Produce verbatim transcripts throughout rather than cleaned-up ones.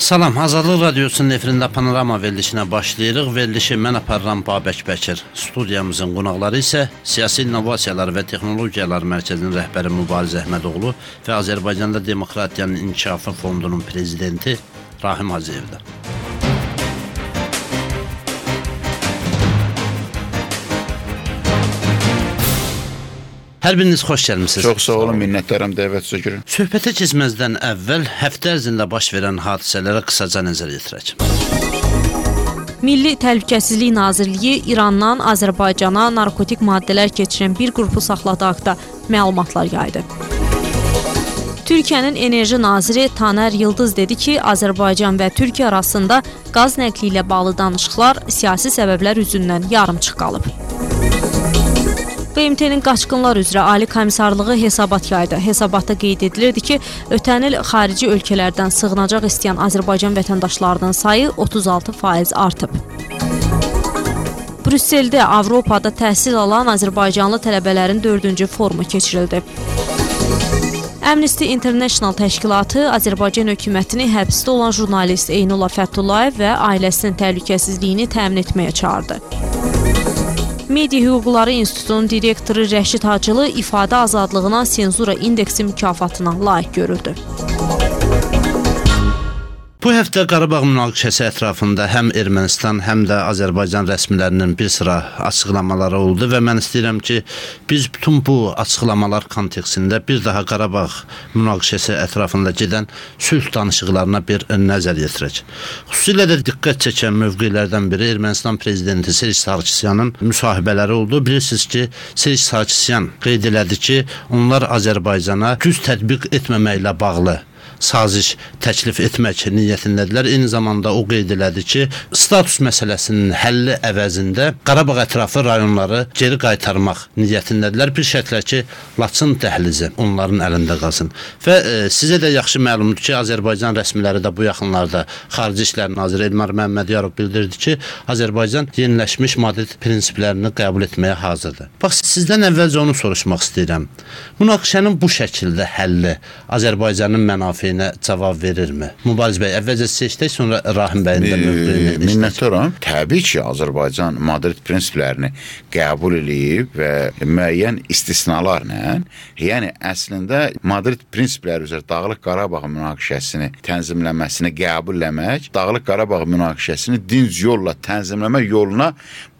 Salam, Azadlıq Radiosunun efirində Panorama verilişinə başlayırıq. Verilişi mən aparıram Babək Bəkir. Studiyamızın qonaqları isə Siyasi İnnovasiyalar və Texnologiyalar Mərkəzinin rəhbəri Mübariz Əhmədoğlu və Azərbaycanda Demokratiyanın İnkişafı Fondunun prezidenti Rahim Hacıyevdir. Hər biriniz xoş gəlmisiniz. Çox sağ olun, minnətdaram dəvətinizə görə. Söhbətə keçməzdən əvvəl həftə ərzində baş verən hadisələrə qısaca nəzər yetirək. Milli Təhlükəsizlik Nazirliyi İrandan Azərbaycana narkotik maddələr keçirən bir qrupu saxladığı haqda məlumatlar yaydı. Türkiyənin enerji naziri Taner Yıldız dedi ki, Azərbaycan və Türkiyə arasında qaz nəqli ilə bağlı danışıqlar siyasi səbəblər üzündən yarımçıq qalıb. B M T-nin qaçqınlar üzrə Ali Komissarlığı hesabat yaydı. Hesabatda qeyd edilirdi ki, ötən il xarici ölkələrdən sığınacaq istəyən Azərbaycan vətəndaşlarının sayı otuz altı faiz artıb. Brüsseldə Avropada təhsil alan Azərbaycanlı tələbələrin dördüncü forumu keçirildi. Amnesty International təşkilatı Azərbaycan hökumətini həbsdə olan jurnalist Eynullah Fəthullayev və ailəsinin təhlükəsizliyini təmin etməyə çağırdı. Media Hüquqları İnstitutunun direktoru Rəşid Hacılı ifadə azadlığına senzura indeksi mükafatına layiq görüldü. Bu həftə Qarabağ münaqişəsi ətrafında həm Ermənistan, həm də Azərbaycan rəsmilərinin bir sıra açıqlamaları oldu və mən istəyirəm ki, biz bütün bu açıqlamalar kontekstində bir daha Qarabağ münaqişəsi ətrafında gedən sülh danışıqlarına bir nəzər yetirək. Xüsusilə də diqqət çəkən mövqelərdən biri Ermənistan prezidenti Serj Sarkisyanın müsahibələri oldu. Bilirsiniz ki, Serj Sarkisyan qeyd elədi ki, onlar Azərbaycana güc tətbiq etməməklə bağlı saziş təklif etmək niyyətindədirlər. Eyni zamanda o qeyd elədi ki, status məsələsinin həlli əvəzində Qarabağ ətrafı rayonları geri qaytarmaq niyyətindədirlər. Bir şərtlə ki, Laçın dəhlizi onların əlində qalsın. Və e, sizə də yaxşı məlumdur ki, Azərbaycan rəsmiləri də bu yaxınlarda Xarici İşlər Naziri Elmar Məmmədiyarov bildirdi ki, Azərbaycan yeniləşmiş Madrid prinsiplərini qəbul etməyə hazırdır. Bax, sizdən əvvəlcə onu soruşmaq istəyirəm. Münaqişənin bu şəkildə həlli Azərbaycanın mənafeyinə cavab verirmi? Mübariz bəy, əvvəlcə seçdik, sonra Rahim bəyin də mövqeyini eşitdik. Minnətdaram. Təbii ki, Azərbaycan Madrid prinsiplərini qəbul edib və müəyyən istisnalarla, yəni əslində Madrid prinsipləri üzrə Dağlıq Qarabağ münaqişəsini tənzimləməsini qəbul etmək, Dağlıq Qarabağ münaqişəsini dinc yolla tənzimləmə yoluna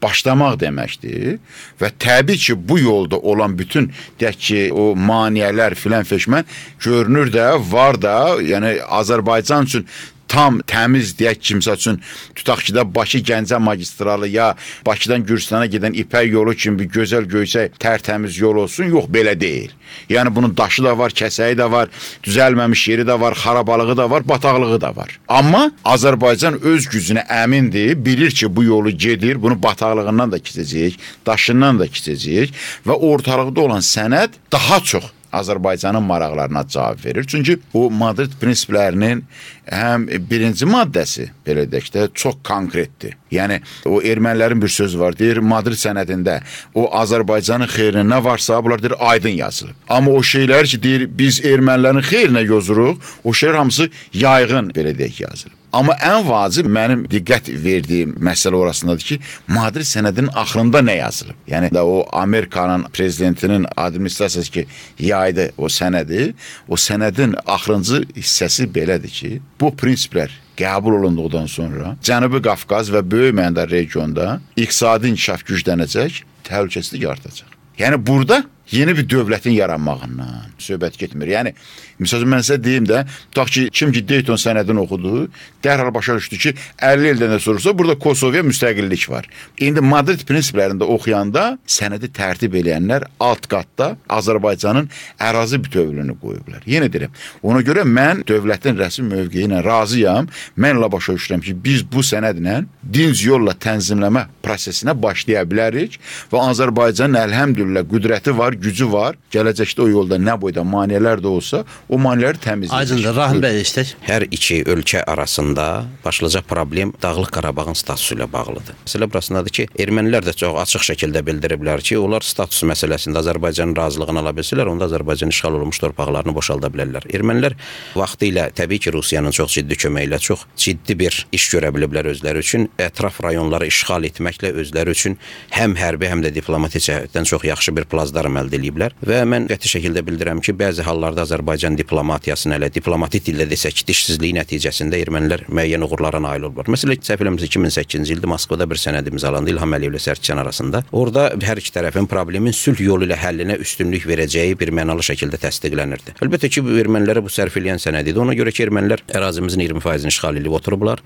başlamaq deməkdir və təbii ki, bu yolda olan bütün deyək ki, o maneələr filan feşmən görünür də, var da, yəni Azərbaycan üçün tam təmiz deyək ki, misal üçün tutaq ki də Bakı-Gəncə magistralı ya Bakıdan Gürcistana gedən İpək yolu kimi bir gözəl göysək tərtəmiz yol olsun, yox, belə deyil. Yəni bunun daşı da var, kəsəyi də var, düzəlməmiş yeri də var, xarabalığı da var, bataqlığı da var. Amma Azərbaycan öz gücünə əmindir, bilir ki, bu yolu gedir, bunu bataqlığından da keçəcək, daşından da keçəcək və ortalıqda olan sənəd daha çox Azərbaycanın maraqlarına cavab verir. Çünki o Madrid prinsiplərinin həm birinci maddəsi, belə deyək də, çox konkretdir. Yəni, o ermənilərin bir sözü var, deyir, Madrid sənədində o Azərbaycanın xeyrinə nə varsa, bunlar deyir, aydın yazılıb. Amma o şeylər ki, deyir, biz ermənilərin xeyrinə yozuruq, o şeylər hamısı yayğın, belə deyək, yazılıb. Amma ən vacib mənim diqqət verdiyim məsələ orasındadır ki, Madrid sənədinin axırında nə yazılıb? Yəni o Amerikanın prezidentinin administrasiyası ki, yaydı o sənədi, o sənədin axırıncı hissəsi belədir ki, bu prinsiplər qəbul olunduqdan sonra Cənubi Qafqaz və böyük məndə regionda iqtisadi inkişaf güclənəcək, təhlükəsizlik artacaq. Yəni burada yeni bir dövlətin yaranmağından söhbət getmir. Yəni, misal mən sizə deyim də, tutaq ki, kim ki Dayton sənədini oxudu, dərhal başa düşdü ki, əlli ildən də sorursa, burada Kosovaya müstəqillik var. İndi Madrid prinsiplərində oxuyanda sənədi tərtib eləyənlər alt qatda Azərbaycanın ərazi bütövlüyünü qoyublar. Yenə deyirəm, ona görə mən dövlətin rəsmi mövqeyi ilə razıyam, mənlə başa düşürəm ki, biz bu sənədlə dinc yolla tənzimləmə prosesinə başlaya bilərik və Azərbaycanın əlhəmdülillah qüdrəti var, var, gücü var. Gələcəkdə o yolda nə boyda maneələr də olsa, o maneələri təmizləyəcək. Aydındır, Rahim bəy istək. Hər iki ölkə arasında başlıca problem Dağlıq Qarabağın statusu ilə bağlıdır. Məsələ burasındadır ki, ermənilər də çox açıq şəkildə bildiriblər ki, onlar status məsələsində Azərbaycanın razılığını ala bilsələr, onda Azərbaycan işğal olunmuş torpaqlarını boşalda bilərlər. Ermənilər vaxtilə təbii ki, Rusiyanın çox ciddi köməyi ilə çox ciddi bir iş görə biliblər özləri üçün. Ətraf rayonları işğal etməklə özləri üçün həm hərbi, həm də diplomatik cəhətdən çox yaxşı bir plazdarm əldə ediblər. Və mən qəti şəkildə bildirəm ki, bəzi hallarda Azərbaycan diplomatiyasını elə diplomatik dildə desək, dişsizliyi nəticəsində ermənilər müəyyən uğurlara nail olublar. Məsələn, səhv eləmirəmsə iki min səkkizinci ildə Moskvada bir sənəd imzalandı İlham Əliyev ilə Sərkisyan arasında. Orada hər iki tərəfin problemin sülh yolu ilə həllinə üstünlük verəcəyi bir mənalı şəkildə təsdiqlənirdi. Əlbəttə ki, bu ermənilərə bu sərf eləyən sənəd idi. Ona görə ki, ermənilər ərazimizin iyirmi faizini işğal edib oturublar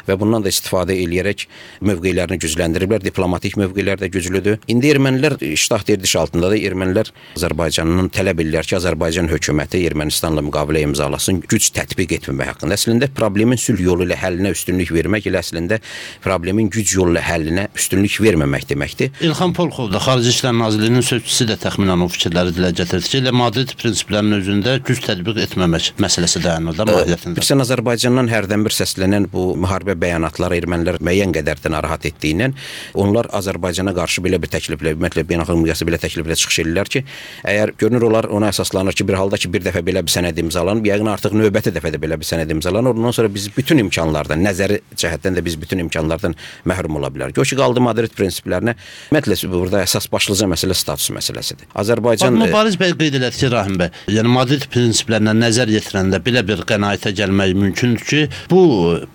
və bundan da istifadə eləyərək mövqelərini gücləndiriblər. Diplomatik mövqelər də güclüdür. İndi ermənilər iştah derdiş altındadır. Ermənilər Azərbaycanın tələb edirlər ki, Azərbaycan hökuməti Ermənistanla müqavilə imzalasın, güc tətbiq etməmək haqqında. Əslində problemin sülh yolu ilə həllinə üstünlük vermək elə əslində problemin güc yolu ilə həllinə üstünlük verməmək deməkdir. İlham Polkov da Xarici İşlər Nazirliyinin sözçüsü də təxminən o fikirləri dilə gətirdi ki, elə Madrid prinsiplərinin özündə güc tətbiq etməmək məsələsi dayanır da mahiyyətində. Bilirsən, Azərbaycandan hərdən bir səslənən bu müharibə bəyanatları ermənilər müəyyən qədər də narahat etdiyindən onlar Azərbaycana qarşı belə bir təkliflə, ümumiyyətlə beynəlxalq miqyasda belə təkliflə çıxış edirlər ki, əgər görünür onlar ona əsaslanır ki, bir halda ki, bir dəfə belə bir sənəd imzalanıb, yəqin artıq növbəti dəfə də belə bir sənəd imzalanır. Ondan sonra biz bütün imkanlardan, nəzəri cəhətdən də biz bütün imkanlardan məhrum ola bilərik. O ki, qaldı Madrid prinsiplərinə. Ümumiyyətlə burada əsas başlıca məsələ status məsələsidir. Azərbaycan Bax, Mübariz bəy qeyd elədi ki, Rahim bəy, yəni Madrid prinsiplərinə nəzər yetirəndə belə bir qənaətə gəlmək mümkündür ki, bu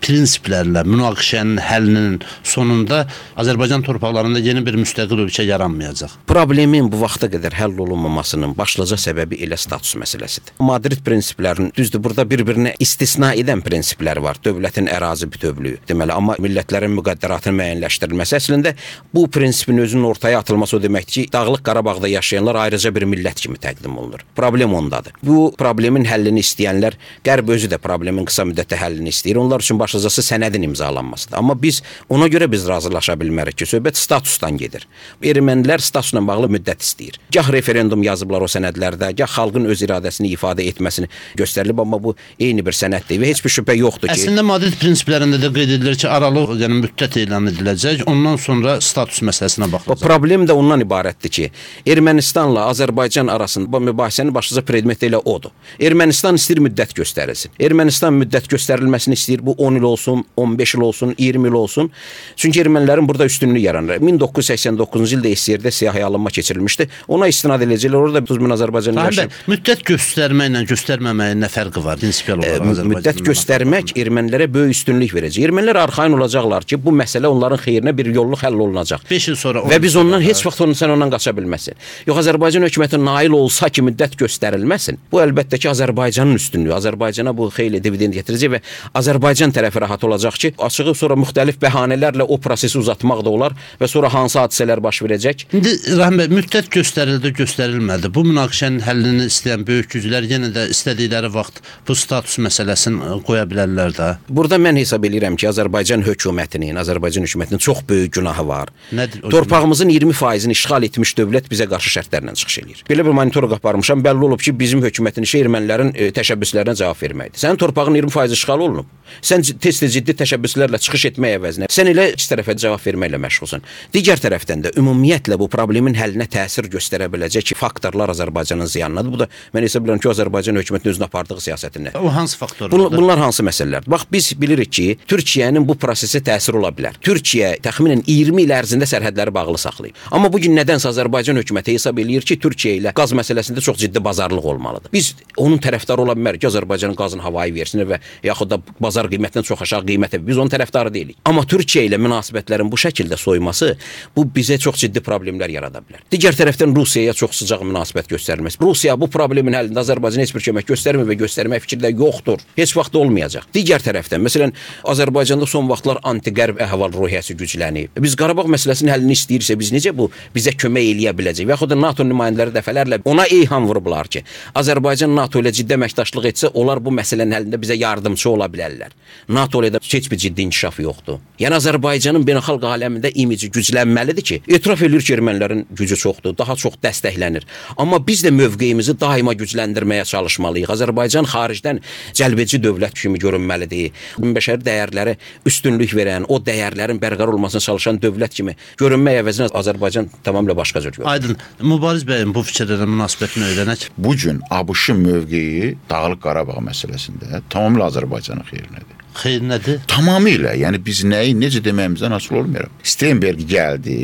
prinsiplərlə münaqişənin həllinin sonunda Azərbaycan torpaqlarında yeni bir müstəqil ölkə yaranmayacaq. Problemin bu vaxta qədər həll olunmamasının başlıca səbəbi elə status məsələsidir. Madrid prinsiplərinin düzdür, burada bir-birinə istisna edən prinsiplər var. Dövlətin ərazi bütövlüyü deməli, amma millətlərin müqəddəratının müəyyənləşdirilməsi əslində bu prinsipin özünün ortaya atılması o deməkdir ki, Dağlıq Qarabağda yaşayanlar ayrıca bir millət kimi təqdim olunur. Problem ondadır. Bu problemin həllini istəyənlər, Qərb özü də problemin qısa müddətdə həllini istəyir. Onlar üçün başlıcası sənədin imzalanmasıdır. Amma biz ona görə biz razılaşa bilmərik ki, söhbət statusdan gedir. Ermənilər statusla bağlı müddət istəyir. Gah referendum yazıblar o sənədlərdə, gah xalqın öz iradəsini ifadə etməsini göstərilib, amma bu eyni bir sənəddir və heç bir şübhə yoxdur ki. Əslində Madrid prinsiplərində də qeyd edilir ki, aralıq, yəni müddət elan ediləcək, ondan sonra status məsələsinə baxılacaq. O problem də ondan ibarətdir ki, Ermənistanla Azərbaycan arasında mübahisənin başlıca predmeti elə odur. Ermənistan istəyir müddət göstərilsin. Ermənistan müddət göstərilməsini istəyir, bu on il olsun, on beş il olsun, iyirmi il olsun. Çünki ermənilərin burada üstünlüyü yaranır. min doqquz yüz səksən doqquzuncu ildə S S R-də siyahıya alınma keçirilmişdi. Ona istinad edəcəklər. Orada otuz min Azərbaycanlı yaşayır. Müddət göstərməklə göstərməməyin nə fərqi var? Prinsipial olaraq Azərbaycanın. Müddət göstərmək ermənilərə böyük üstünlük verəcək. Ermənilər arxayın olacaqlar ki, bu məsələ onların xeyrinə bir yolluq həll olunacaq. beş il sonra və biz ondan heç vaxt onu sən ondan qaça bilməsin. Yox, Azərbaycan hökuməti nail olsa ki, müddət göstərilməsin. Bu əlbəttə ki, Azərbaycanın üstünlüyü. Azərbaycana bu xeyli dividend gətirəcək və Azərbaycan tərəfi rahat olacaq ki, açığı sonra müxtəlif bəhanələrlə o prosesi uzatmaq da olar və sonra hansı hadisələr baş verəcək. İndi Rahim bəy, müddət göstərildi, göstərilmədi. Bu münaqişənin həllini istəyən böyük güclər yenə də istədikləri vaxt bu status məsələsini qoya bilərlər də. Burada mən hesab edirəm ki, Azərbaycan hökumətinin, Azərbaycan hökumətinin çox böyük günahı var. Nədir o Torpağımızın iyirmi faizini işğal etmiş dövlət bizə qarşı şərtlərlə çıxış eləyir. Belə bir monitorinq aparmışam, bəlli olub ki, bizim hökumətin işi ermənilərin e, təşəbbüslərinə cavab verməkdir. Sənin torpağın iyirmi faizi işğal olunub. Sən tez-tez ciddi təşəbbüslərlə çıxış etmək əvəzinə sən elə iki tərəfə cavab verməklə məşğulsan. Digər tərəfdən də ümumiyyətlə bu problemin həllinə təsir göstərə biləcək faktorlar Azərbaycanın ziyanınadır. Bu da mən hesab edirəm ki, Azərbaycan hökumətinin özünə apardığı siyasətinə. O hansı faktorlar? Bun, bunlar hansı məsələlərdir? Bax, biz bilirik ki, Türkiyənin bu prosesə təsir ola bilər. Türkiyə təxminən iyirmi il ərzində sərhədləri bağlı saxlayıb. Amma bu gün nədənsə Azərbaycan hökuməti hesab eləyir ki, Türkiyə ilə qaz məsələsində çox ciddi bazarlıq olmalıdır. Biz onun tərəfdarı ola bilmərik ki, Azərbaycanın qazını havayı versin və yaxud da bazar qiymətindən çox aşağı qiymətə. Biz onun tərəfdarı deyilik. Amma Türkiyə ilə münasibətlərin bu şəkildə soyması bu bizə çox ciddi problemlər yarada bilər. Digər tərəfdən Rusiyaya çox sıcaq münasibət göstərilməsi. Rusiya bu problemin həllində Azərbaycana heç bir kömək göstərmir və göstərmək fikrində yoxdur. Heç vaxt olmayacaq. Digər tərəfdən, məsələn, Azərbaycanda son vaxtlar anti-qərb əhval-ruhiyyəsi güclənib. Biz Qarabağ məsələsinin həllini istəyirsə, biz necə bu bizə kömək eləyə biləcək? Və yaxud da NATO nümayəndələri dəfələrlə ona eyham vurublar ki, Azərbaycan NATO ilə ciddi əməkdaşlıq etsə, onlar bu məsələnin həllində bizə yardımçı ola bilərlər. NATO ilə də heç bir ciddi inkişaf yoxdur. Yəni Azərbaycanın beynəlxalq aləmində imici güclənməlidir ki, etiraf edir ki, ermənilərin gücü çoxdur, daha çox dəstəklənir. Amma biz də mövqeyimizi daima gücləndirməyə çalışmalıyıq. Azərbaycan xaricdən cəlbedici dövlət kimi görünməlidir. Bəşəri dəyərlərə üstünlük verən, o dəyərlərin bərqərar olmasına çalışan dövlət kimi görünmək əvəzinə Azərbaycan tamamilə başqa cür görünür. Aydın. Mübariz bəyin bu fikirlərə münasibətini öyrənək. Bu gün ABŞ-ın mövqeyi Dağlıq Qarabağ məsələsində tamamilə Azərbaycanın xeyrinədir. Xeyr nədir? Tamamilə, yəni biz nəyi necə deməyimizdən asılı olmayaraq. Steinberg gəldi,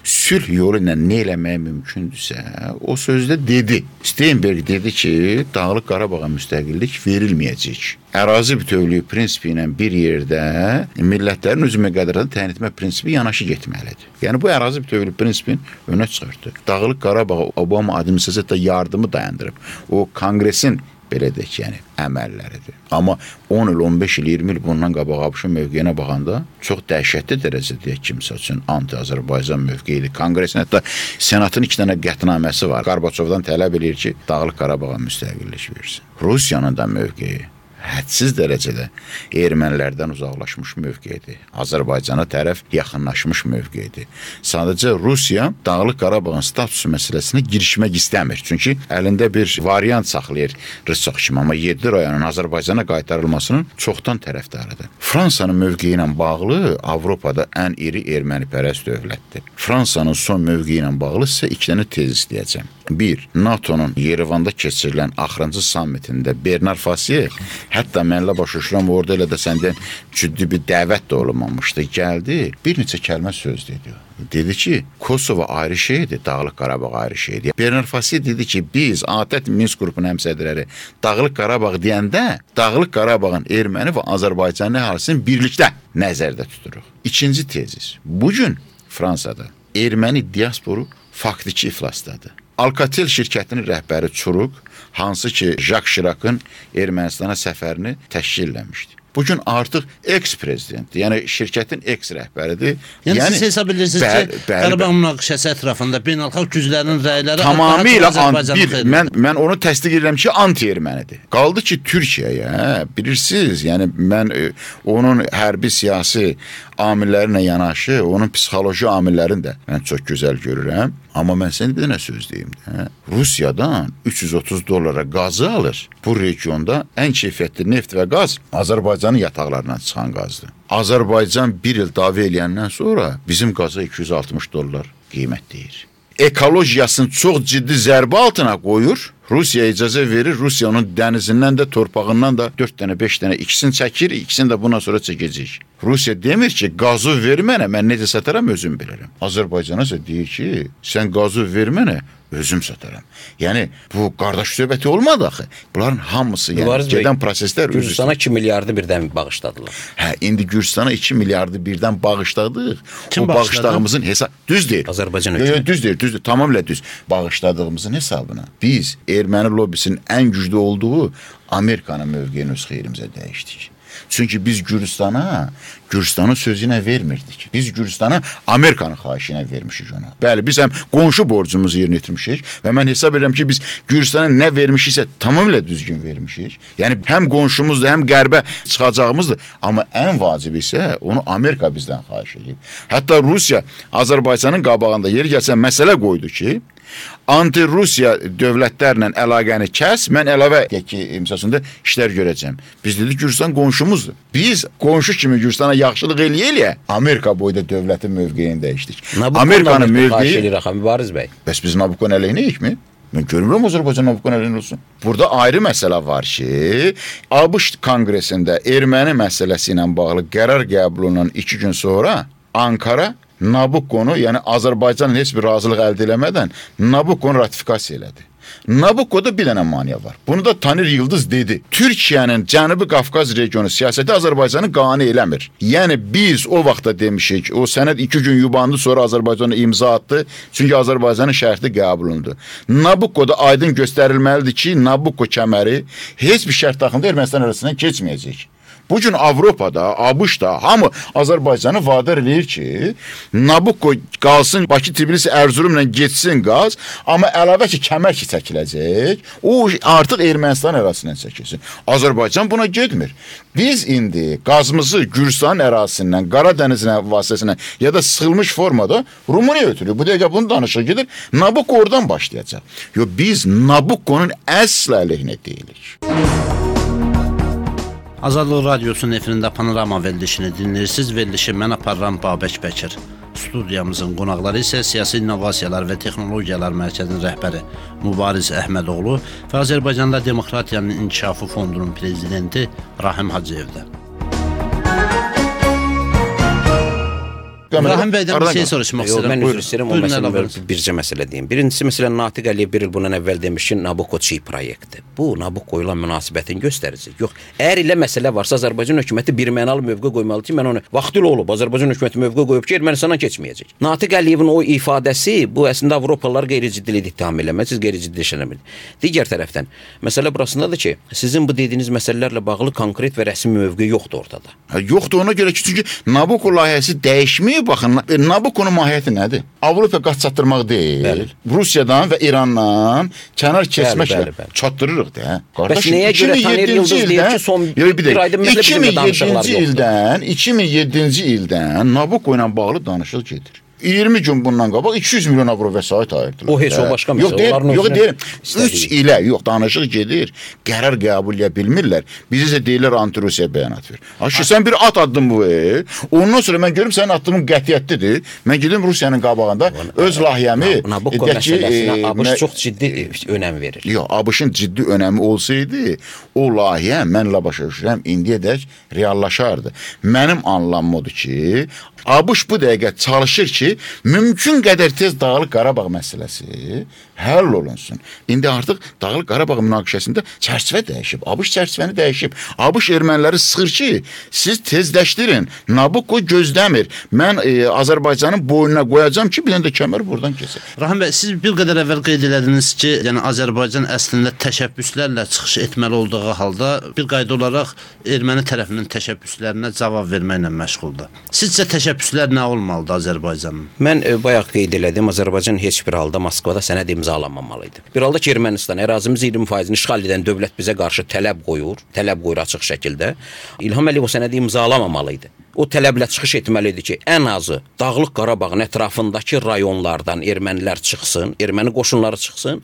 sülh yolu ilə nə eləmək mümkündürsə, o sözdə dedi. Steinberg dedi ki, Dağlıq Qarabağa müstəqillik verilməyəcək. Ərazi bütövlüyü prinsipi ilə bir yerdə millətlərin özü müqəddəratını təyin etmə prinsipi yanaşı getməlidir. Yəni bu ərazi bütövlüyü prinsipini önə çıxartdı. Dağlıq Qarabağ Obama administrasiyasında yardımı dayandırıb. O Konqresin belə deyək, yəni əməlləridir. Amma on il, on beş il, iyirmi il bundan qabaq ABŞ-ın mövqeyinə baxanda çox dəhşətli dərəcədə deyək kimsə üçün anti-Azərbaycan mövqeyidir. Konqresin hətta Senatın iki dənə qətnaməsi var. Qarbaçovdan tələb edir ki, Dağlıq Qarabağa müstəqillik versin. Rusiyanın da mövqeyi hədsiz dərəcədə ermənilərdən uzaqlaşmış mövqeyidir. Azərbaycana tərəf yaxınlaşmış mövqeyidir. Sadəcə Rusiya Dağlıq Qarabağın statusu məsələsinə girişmək istəmir. Çünki əlində bir variant saxlayır Rıssaq kimi, amma yeddi rayonun Azərbaycana qaytarılmasının çoxdan tərəfdarıdır. Fransanın mövqeyi ilə bağlı Avropada ən iri ermənipərəst dövlətdir. Fransanın son mövqeyi ilə bağlı sizə iki dənə tez istəyəcəm. Bir, NATO'nun Yerevanda keçirilən axırıncı sammitində Bernard Fasier, hətta mənlə başa düşürəm, orada elə də səndən ciddi bir dəvət də olunmamışdı. Gəldi, bir neçə kəlmə söz dedi. Dedi ki, Kosovo ayrı şeydir, Dağlıq Qarabağ ayrı şeydir. Bernard Fasier dedi ki, biz ATƏT Minsk qrupunun həmsədrləri Dağlıq Qarabağ deyəndə Dağlıq Qarabağın erməni və Azərbaycan əhalisini birlikdə nəzərdə tuturuq. İkinci tezis. Bugün Fransada erməni diasporu faktiki iflasdadır. Alcatel şirkətinin rəhbəri Çuruq, hansı ki Jacques Chirac'ın Ermənistana səfərini təşkil eləmişdi. Bugün artıq eks-prezidentdir, yəni şirkətin eks-rəhbəridir. Yəni, yəni siz hesab edirsiniz bəl, ki, bəl, Qarabağ münaqişəsi ətrafında beynəlxalq güclərin rəyləri tamamilə bir, mən, mən onu təsdiq edirəm ki, anti-ermənidir. Qaldı ki, Türkiyəyə, bilirsiniz, yəni mən e, onun hərbi siyasi amillərinə yanaşı, onun psixoloji amillərini də mən çox gözəl görürəm. Amma mən sənə bir dənə söz deyim. Hə? Rusiyadan üç yüz otuz dollara qazı alır. Bu regionda ən keyfiyyətli neft və qaz Azərbaycanın yataqlarından çıxan qazdır. Azərbaycan bir il dava eləyəndən sonra bizim qaza iki yüz altmış dollar qiymət deyir. Ekologiyasını çox ciddi zərbə altına qoyur. Rusiya icazə verir, Rusiyanın dənizindən də, torpağından da dörd dənə, beş dənə ikisini çəkir, ikisini də bundan sonra çəkəcək. Rusiya demir ki, qazı ver mənə, mən necə sataram, özüm bilirəm. Azərbaycana isə deyir ki, sən qazı ver mənə, özüm sataram. Yəni, bu qardaş söhbəti olmadı axı. Bunların hamısı, yəni, Mübariz gedən bəy, proseslər... Gürcistana iki milyardı birdən bağışladılar. Hə, indi Gürcistana iki milyardı birdən bağışladıq. Kim o bağışladığımızın hesab... Düz deyir. Azərbaycan hökuməti. Düz deyir, düz deyir, tamamilə düz. Bağışladığımızın hesabına biz erməni lobbisinin ən güclü olduğu Amerikanın mövqeyini öz xeyrimizə dəyişdik. Çünki biz Gürcistana, Gürcistanın sözü ilə vermirdik. Biz Gürcistana Amerikanın xahişi ilə vermişik ona. Bəli, biz həm qonşu borcumuzu yerinə yetirmişik və mən hesab edirəm ki, biz Gürcistana nə vermişiksə tamamilə düzgün vermişik. Yəni həm qonşumuzdur, həm qərbə çıxacağımızdır. Amma ən vacibi isə onu Amerika bizdən xahiş edir. Hətta Rusiya Azərbaycanın qabağında yeri gəlsən məsələ qoydu ki, anti-Rusiya dövlətlərlə əlaqəni kəs, mən əlavə ki, imzasında işlər görəcəm. Biz dedik, Gürcistan qonşumuzdur. Biz qonşu kimi Gürcistana yaxşılıq eləyə-eləyə Amerika boyda dövlətin mövqeyini dəyişdik. Amerikanın mövqeyi... Mübariz bəy. Bəs biz Nabukon əleyhinəyik mi? Mən görmürəm Azərbaycan Nabukon əleyhinə olsun. Burada ayrı məsələ var ki, ABŞ Konqresində erməni məsələsi ilə bağlı qərar qəbul olunan iki gün sonra Ankara Nabukonu, yəni Azərbaycanın heç bir razılıq əldə eləmədən Nabukonu ratifikasiya elədi. Nabukoda bir dənə maniya var. Bunu da Tanir Yıldız dedi. Türkiyənin Cənubi Qafqaz regionu siyasəti Azərbaycanı qane eləmir. Yəni biz o vaxtda demişik, o sənəd iki gün yubandı, sonra Azərbaycana imza atdı. Çünki Azərbaycanın şərti qəbul olundu. Nabukoda aydın göstərilməlidir ki, Nabuko kəməri heç bir şərt daxilində Ermənistan arasından keçməyəcək. Bu gün Avropada, ABŞ-da hamı Azərbaycanı vadar edir ki, Nabucco qalsın Bakı, Tbilisi, Ərzurumla getsin qaz, amma əlavə ki, kəmər ki çəkiləcək, o artıq Ermənistan ərazisindən çəkilsin. Azərbaycan buna getmir. Biz indi qazımızı Gürcistan ərazisindən, Qaradənizin vasitəsilə ya da sıxılmış formada Rumıniya ötürür. Bu dəqiqə bunu danışır gedir. Nabucco oradan başlayacaq. Yo, biz Nabucco'nun əsl əleyhinə deyilik. Azadlıq Radiosunun efirində Panorama verilişini dinləyirsiniz. Verilişi mən aparıram Babək Bəkir. Studiyamızın qonaqları isə Siyasi İnnovasiyalar və Texnologiyalar Mərkəzinin rəhbəri Mübariz Əhmədoğlu və Azərbaycanda Demokratiyanın İnkişafı Fondunun prezidenti Rahim Hacıyevdir. Rahim bəydən bir şey soruşmaq istəyirəm. Mən üzr istəyirəm, o məsələ bircə məsələ deyim. Birincisi, məsələn, Natiq Əliyev bir il bundan əvvəl demiş ki, Nabucco çiy proyektdir. Bu, Nabucco ilə münasibətin göstərici. Yox, əgər elə məsələ varsa, Azərbaycan hökuməti birmənalı mövqe qoymalı ki, mən onu vaxtilə olub, Azərbaycan hökuməti mövqe qoyub ki, Ermənistana keçməyəcək. Natiq Əliyevin o ifadəsi, bu əslində Avropalılar qeyri-ciddilik ittiham eləmir, siz qeyri-ciddiləşənəmir. Digər tərəfdən, məsələ burasındadır ki, sizin bu dediyiniz məsələlərlə bağlı konkret və rəsmi mövqe yoxdur ortada. Ha, yoxdur ona görə ki, çünki Nabucco layihəsi dəyişməyib. Baxın, Nabucco'nun mahiyyəti nədir? Avropa qaz çatdırmaq deyil. Bəli. Rusiyadan və İrandan kənar keçməklə çatdırırıq da. Bəs nəyə görə Taner Yıldız deyir ki, son bir ayda məsələ bizimlə danışıqlar yoxdur? ildən, iki min yeddinci ildən Nabucco ilə bağlı danışıq gedir. iyirmi gün bundan qabaq iki yüz milyon avro vəsait ayırdılar. O heç o başqa məsələ. Yox, deyil, yox deyirəm. üç ilə, yox, danışıq gedir. Qərar qəbul edə bilmirlər. Biz isə deyirlər anti-Rusiya bəyanat ver. Aşı, sən bir at addın bu. E. Ondan sonra mən görüm sənin addımın qətiyyətlidir. Mən gedim Rusiyanın qabağında öz layihəmi... Nabucco məsələsinə ABŞ çox ciddi önəm verir. Yox, ABŞ-ın ciddi önəmi olsaydı, o layihə mənlə başa düşürəm, indiyədək reallaşardı. Mənim anlamım odur ki, ABŞ bu dəqiqə çalışır ki, mümkün qədər tez Dağlıq Qarabağ məsələsi həll olunsun. İndi artıq Dağlıq Qarabağ münaqişəsində çərçivə dəyişib. ABŞ çərçivəni dəyişib. ABŞ erməniləri sıxır ki, siz tezləşdirin. Nabucco gözləmir. Mən e, Azərbaycanın boynuna qoyacam ki, bir də kəmər buradan keçir. Rahim bəy, siz bir qədər əvvəl qeyd elədiniz ki, yəni Azərbaycan əslində təşəbbüslərlə çıxış etməli olduğu halda bir qayda olaraq erməni tərəfinin təşəbbüslərinə cavab verməklə məşğuldur. Sizcə təşəbbüslər nə olmalıdır Azərbaycanın? Mən e, bayaq qeyd elədim, Azərbaycan heç bir halda Moskvada sənəd imzalanmamalıydı. Bir halda ki, Ermənistan ərazimiz iyirmi faizini işğal edən dövlət bizə qarşı tələb qoyur, tələb qoyur açıq şəkildə. İlham Əliyev o sənədi imzalamamalı o tələblə çıxış etməlidir ki, ən azı Dağlıq Qarabağın ətrafındakı rayonlardan ermənilər çıxsın, erməni qoşunları çıxsın.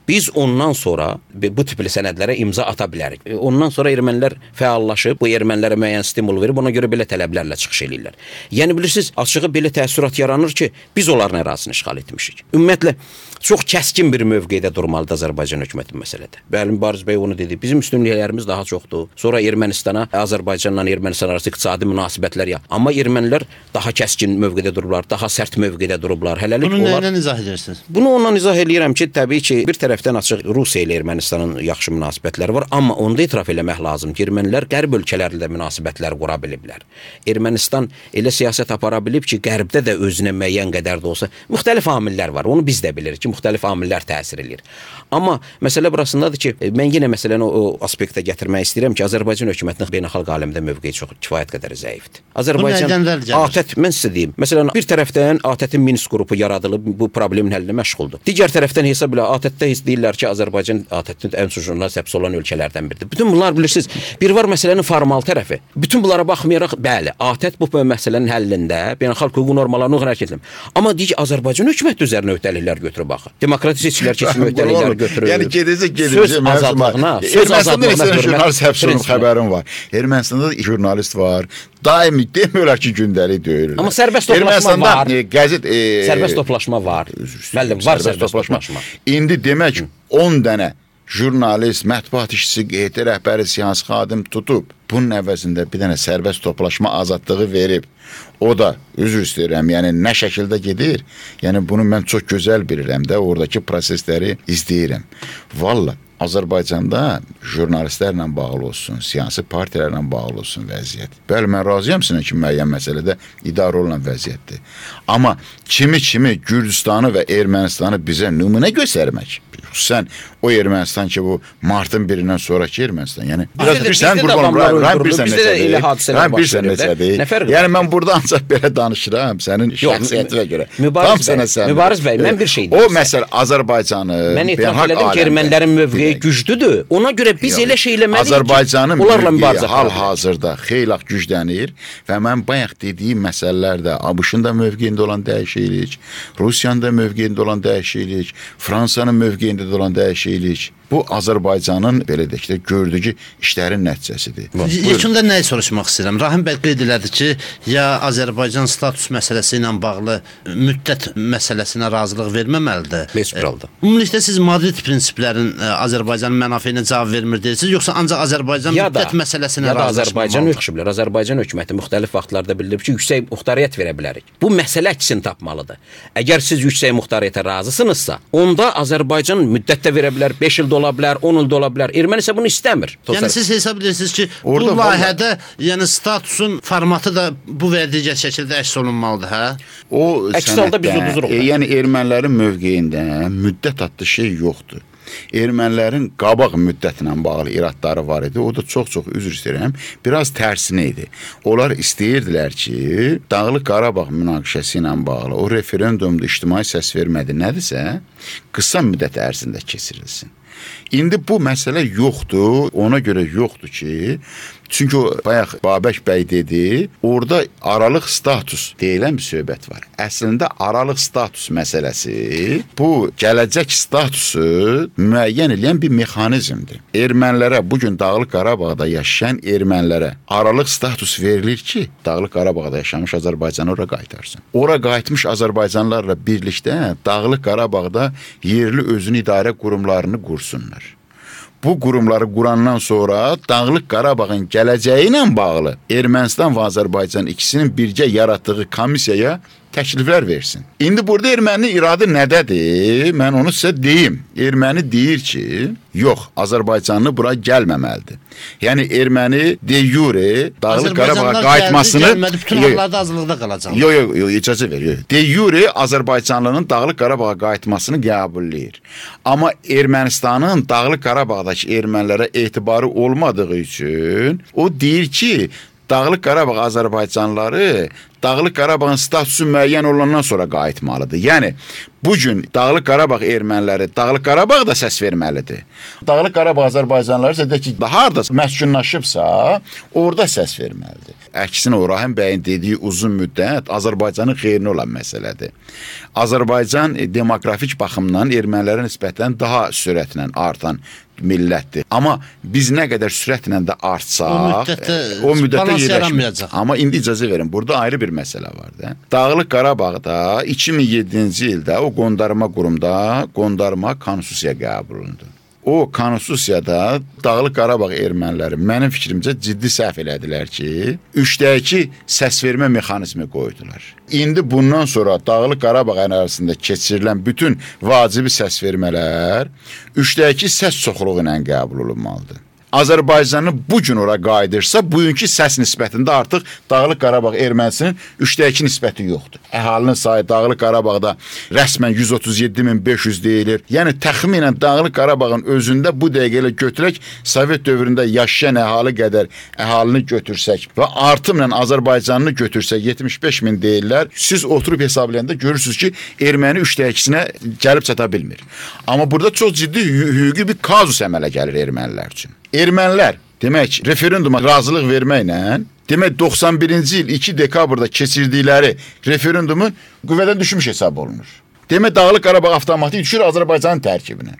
Biz ondan sonra bu tipli sənədlərə imza ata bilərik. Ondan sonra ermənilər fəallaşıb, bu ermənilərə müəyyən stimul verib, ona görə belə tələblərlə çıxış eləyirlər. Yəni bilirsiniz, açığı belə təəssürat yaranır ki, biz onların ərazisini işğal etmişik. Ümumiyyətlə, çox kəskin bir mövqedə durmalıdır Azərbaycan hökuməti məsələdə. Bəli, Mübariz bəy onu dedi. Bizim üstünlüklərimiz daha çoxdur. Sonra Ermənistana, Azərbaycanla Ermənistan arası iqtisadi münasibətlər ya. Amma ermənilər daha kəskin mövqedə durublar, daha sərt mövqedə durublar. Hələlik bunu onlar... nədən izah edirsiniz? Bunu ondan izah eləyirəm ki, təbii ki, bir tərəfdən açıq Rusiya ilə Ermənistanın yaxşı münasibətləri var, amma onda etiraf eləmək lazım ki, ermənilər qərb ölkələrlə münasibətlər qura biliblər. Ermənistan elə siyasət apara bilib ki, qərbdə də özünə müəyyən qədər də olsa, müxtəlif amillər var. Onu biz də bilirik ki, müxtəlif amillər təsir eləyir. Amma məsələ burasındadır ki, mən yenə məsələni o, o aspektə gətirmək istəyirəm ki, Azərbaycan hökumətinin beynəlxalq aləmdə mövqeyi çox kifayət qədər zəifdir. Azərbaycan ATƏT, mən sizə deyim, məsələn, bir tərəfdən ATƏT-in Minsk qrupu yaradılıb, bu problemin həllinə məşğuldur. Digər tərəfdən hesab elə ATƏT-də deyirlər ki, Azərbaycan ATƏT-in ən sujuruna səbs olan ölkələrdən biridir. Bütün bunlar bilirsiniz, bir var məsələnin formal tərəfi. Bütün bunlara baxmayaraq, bəli, ATƏT bu məsələnin həllində beynəlxalq hüquq normalarını hərəkət edir. Amma deyək Azərbaycan hökuməti üzərinə öhdəliklər götürüb baxır. Demokratik seçkilər keçirmə öhdəlikləri götürür. Yəni gedəcək, gedəcək. Söz azadlığına, söz azadlığına jurnalist həbs olunub xəbərim var. Ermənistanda jurnalist var. Daimi demirlər ki, gündəlik döyürlər. Amma sərbəst toplaşma var. E, qəzet e, sərbəst toplaşma var. Müəllim, var sərbəst toplaşma. toplaşma. İndi demək on dənə jurnalist, mətbuat işçisi, Q T rəhbəri, siyasi xadim tutub. Bunun əvəzində bir dənə sərbəst toplaşma azadlığı verib. O da, üzr istəyirəm, yəni nə şəkildə gedir, yəni bunu mən çox gözəl bilirəm də, oradakı prosesləri izləyirəm. Valla, Azərbaycanda jurnalistlərlə bağlı olsun, siyasi partilərlə bağlı olsun vəziyyət. Bəli, mən razıyam sizin ki, müəyyən məsələdə idarə olunan vəziyyətdir. Amma kimi-kimi Gürcistanı və Ermənistanı bizə nümunə göstərmək, xüsusən o Ermənistan ki, bu martın birindən sonraki Ermənistan. Yəni biraz Bizdə də- bilirsən, bizdə də qurbanım, adamlar Rahim öldürülür, bilirsən bizdə də elə necədir? hadisələr Rahim baş bilirsən verir də. necədir? Nə fərqi Yəni var? mən burada ancaq belə danışıram sənin şəxsiyyətinə görə. Mübariz Tam bəy, sənə sən. Mübariz bəy, mən bir şey O deyim məsələ Azərbaycanı Mən etiraf beynəlxalq elədim ki, aləmdə- ermənilərin mövqeyi Bir dəqiqə. güclüdür. Ona görə biz Yox, elə şey eləməliyik Azərbaycanın ki, onlarla mövqeyi mübarizə apara bilək. hal-hazırda xeyli güclənir və mən bayaq dediyim məsələlərdə ABŞ-ın da mövqeyində olan dəyişiklik, Rusiyanın da mövqeyində olan dəyişiklik, Fransanın mövqeyində də olan dəyişiklik bu Azərbaycanın belə deyək də gördüyü işlərin nəticəsidir. Yekunda nəyi soruşmaq istəyirəm? Rahim bəy qeyd elədi ki, ya Azərbaycan status məsələsi ilə bağlı müddət məsələsinə razılıq verməməlidir. Heç bir halda. Ümumilikdə siz Madrid prinsiplərin ə, Azərbaycanın mənafeyinə cavab vermir deyirsiniz, yoxsa ancaq Azərbaycan Ya da, müddət məsələsinə ya da Azərbaycan razılaşmamalıdır? hökmlər, Azərbaycan hökuməti müxtəlif vaxtlarda bildirib ki, yüksək muxtariyyət verə bilərik. Bu məsələ əksini tapmalıdır. Əgər siz yüksək muxtariyyətə razısınızsa, onda Azərbaycan müddət də verə bilər, beş il də ola bilər, on il də ola bilər. Erməni isə bunu istəmir. Yəni siz hesab edirsiniz ki, Orada bu layihədə yəni statusun formatı da bu və digər şəkildə əks olunmalıdır, hə? O Əks halda biz sənəddə, uduzuruq. e, yəni ermənilərin mövqeyində müddət adlı şey yoxdur. Ermənilərin qabaq müddətlə bağlı iradları var idi. O da çox-çox üzr istəyirəm, biraz tərsinə idi. Onlar istəyirdilər ki, Dağlıq Qarabağ münaqişəsi ilə bağlı o referendumda ictimai səs vermədi nədirsə, qısa müddət ərzində keçirilsin. İndi bu məsələ yoxdur, ona görə yoxdur ki, çünki o bayaq Babək bəy dedi, orada aralıq status deyilən bir söhbət var. Əslində aralıq status məsələsi bu gələcək statusu müəyyən edən bir mexanizmdir. Ermənilərə, bugün Dağlıq Qarabağda yaşayan ermənilərə aralıq status verilir ki, Dağlıq Qarabağda yaşamış Azərbaycanı ora qaytarsın. Ora qayıtmış Azərbaycanlılarla birlikdə Dağlıq Qarabağda yerli özünü idarə qurumlarını qursunlar. Bu qurumları qurandan sonra Dağlıq Qarabağın gələcəyi ilə bağlı Ermənistan və Azərbaycan ikisinin birgə yaratdığı komissiyaya təkliflər versin. İndi burada erməni iradı nədədir? Mən onu sizə deyim. Erməni deyir ki, yox, Azərbaycanlı bura gəlməməlidir. Yəni erməni de jure Dağlıq Qarabağa qayıtmasını gəlmədi, bütün hallarda azlıqda qalacaq. Yox, yox, yo, icazə ver. Yo. De jure Azərbaycanlının Dağlıq Qarabağa qayıtmasını qəbulləyir. Amma Ermənistanın Dağlıq Qarabağdakı ermənilərə etibarı olmadığı üçün o deyir ki, Dağlıq Qarabağ Azərbaycanlıları Dağlıq Qarabağın statusu müəyyən olandan sonra qayıtmalıdır. Yəni bugün Dağlıq Qarabağ erməniləri Dağlıq Qarabağda səs verməlidir. Dağlıq Qarabağ Azərbaycanlıları isə ki, harda məskunlaşıbsa, orada səs verməlidir. Əksinə o Rahim bəyin dediyi uzun müddət Azərbaycanın xeyrinə olan məsələdir. Azərbaycan demografik baxımdan ermənilərə nisbətən daha sürətlə artan millətdir. Amma biz nə qədər sürətlə də artsaq, O müddətdə o müddətdə balans yerləşməyəcək. yaranmayacaq. Amma indi icazə verin, burada ayrı bir məsələ var da. Dağlıq Qarabağda iki min yeddinci ildə o qondarma qurumda qondarma konstitusiya qəbul olundu. O konstitusiyada Dağlıq Qarabağ erməniləri mənim fikrimcə ciddi səhv elədilər ki, üçdə iki səs vermə mexanizmi qoydular. İndi bundan sonra Dağlıq Qarabağ ərazisində keçirilən bütün vacibi səs vermələr üçdə iki səs çoxluğu ilə qəbul olunmalıdır. Azərbaycanı bu gün ora qayıdırsa, bugünkü səs nisbətində artıq Dağlıq Qarabağ ermənisinin üçdə iki nisbəti yoxdur. Əhalinin sayı Dağlıq Qarabağda rəsmən yüz otuz yeddi min beş yüz deyilir. Yəni təxminən Dağlıq Qarabağın özündə bu dəqiqə ilə götürək, Sovet dövründə yaşayan əhali qədər əhalini götürsək və artımla Azərbaycanını götürsək yetmiş beş min deyirlər. Siz oturub hesablayanda görürsünüz ki, erməni üçdə ikisinə gəlib çata bilmir. Amma burada çox ciddi hüquqi bir kazus əmələ gəlir ermənilər üçün. Ermənilər, demək, referenduma razılıq verməklə, demək, doxsan birinci il iki dekabrda keçirdikləri referendumun qüvvədən düşmüş hesab olunur. Demək, Dağlıq Qarabağ avtomatik düşür Azərbaycanın tərkibinə.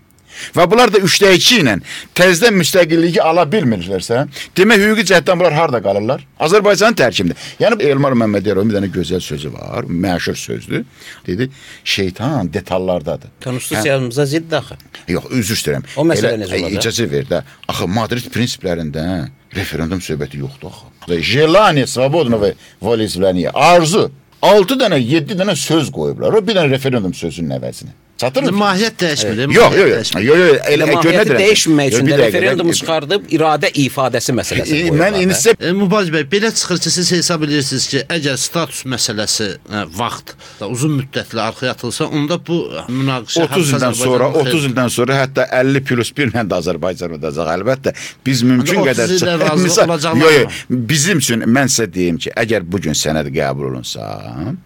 Və bunlar da üçdə iki ilə təzədən müstəqilliyi ala bilmirlərsə, demək, hüquqi cəhətdən bunlar harda qalırlar? Azərbaycanın tərkibində. Yəni, Elmar Məmmədyarovun bir dənə gözəl sözü var, məşhur sözdür. Dedi, şeytan detallardadır. Konstitusiyamıza zidd axı. Yox, üzr istəyirəm. O məsələ necə olacaq? İcazə ver də. Axı Madrid prinsiplərində referendum söhbəti yoxdur axı. Jelание свободного волеизъявления, arzu. altı dənə, yeddi dənə söz qoyublar. O bir dənə referendum sözünün əvəzinə. Çatır mı? Mahiyyət dəyişmir. Yox, yox, yox. Yox, yox, elə Mahiyyəti dəyişməmək üçün də referendum çıxır. çıxardıb iradə ifadəsi məsələsi qoyurlar. Mən indi E, Mübariz bəy, belə çıxır ki, siz hesab edirsiniz ki, əgər status məsələsi ə, vaxt da uzun müddətli arxaya atılsa, onda bu münaqişə otuz ildən sonra, otuz ildən sonra hətta əlli plus bir ilə də Azərbaycan udacaq. Əlbəttə, biz mümkün otuz qədər ildə razı Misal- olacaqlar yox, mı? yox, bizim üçün mən sizə deyim ki, əgər bu gün sənəd qəbul olunsa,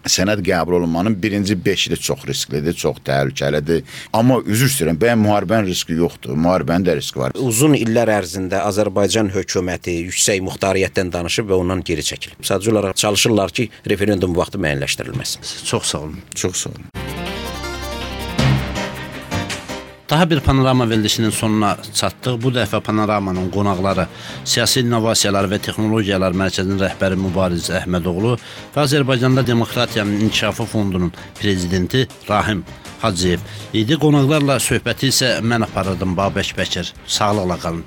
sənəd qəbul olunmanın birinci beşi də çox risklidir, çox təhlükəlidir. Amma üzr istəyirəm, bəyən müharibənin riski yoxdur. Müharibənin də riski var. Uzun illər ərzində Azərbaycan hökuməti yüksək muxtariyyətdən danışıb və ondan geri çəkilib. Sadəcə olaraq çalışırlar ki, referendum vaxtı müəyyənləşdirilməsin. Çox sağ olun. Çox sağ olun. Daha bir panorama verilişinin sonuna çatdıq. Bu dəfə panoramanın qonaqları Siyasi İnnovasiyalar və Texnologiyalar Mərkəzinin rəhbəri Mübariz Əhmədoğlu və Azərbaycanda Demokratiyanın İnkişafı Fondunun prezidenti Rahim Hacıyev idi. Qonaqlarla söhbəti isə mən aparırdım, Babək Bəkir. Sağlıqla qalın.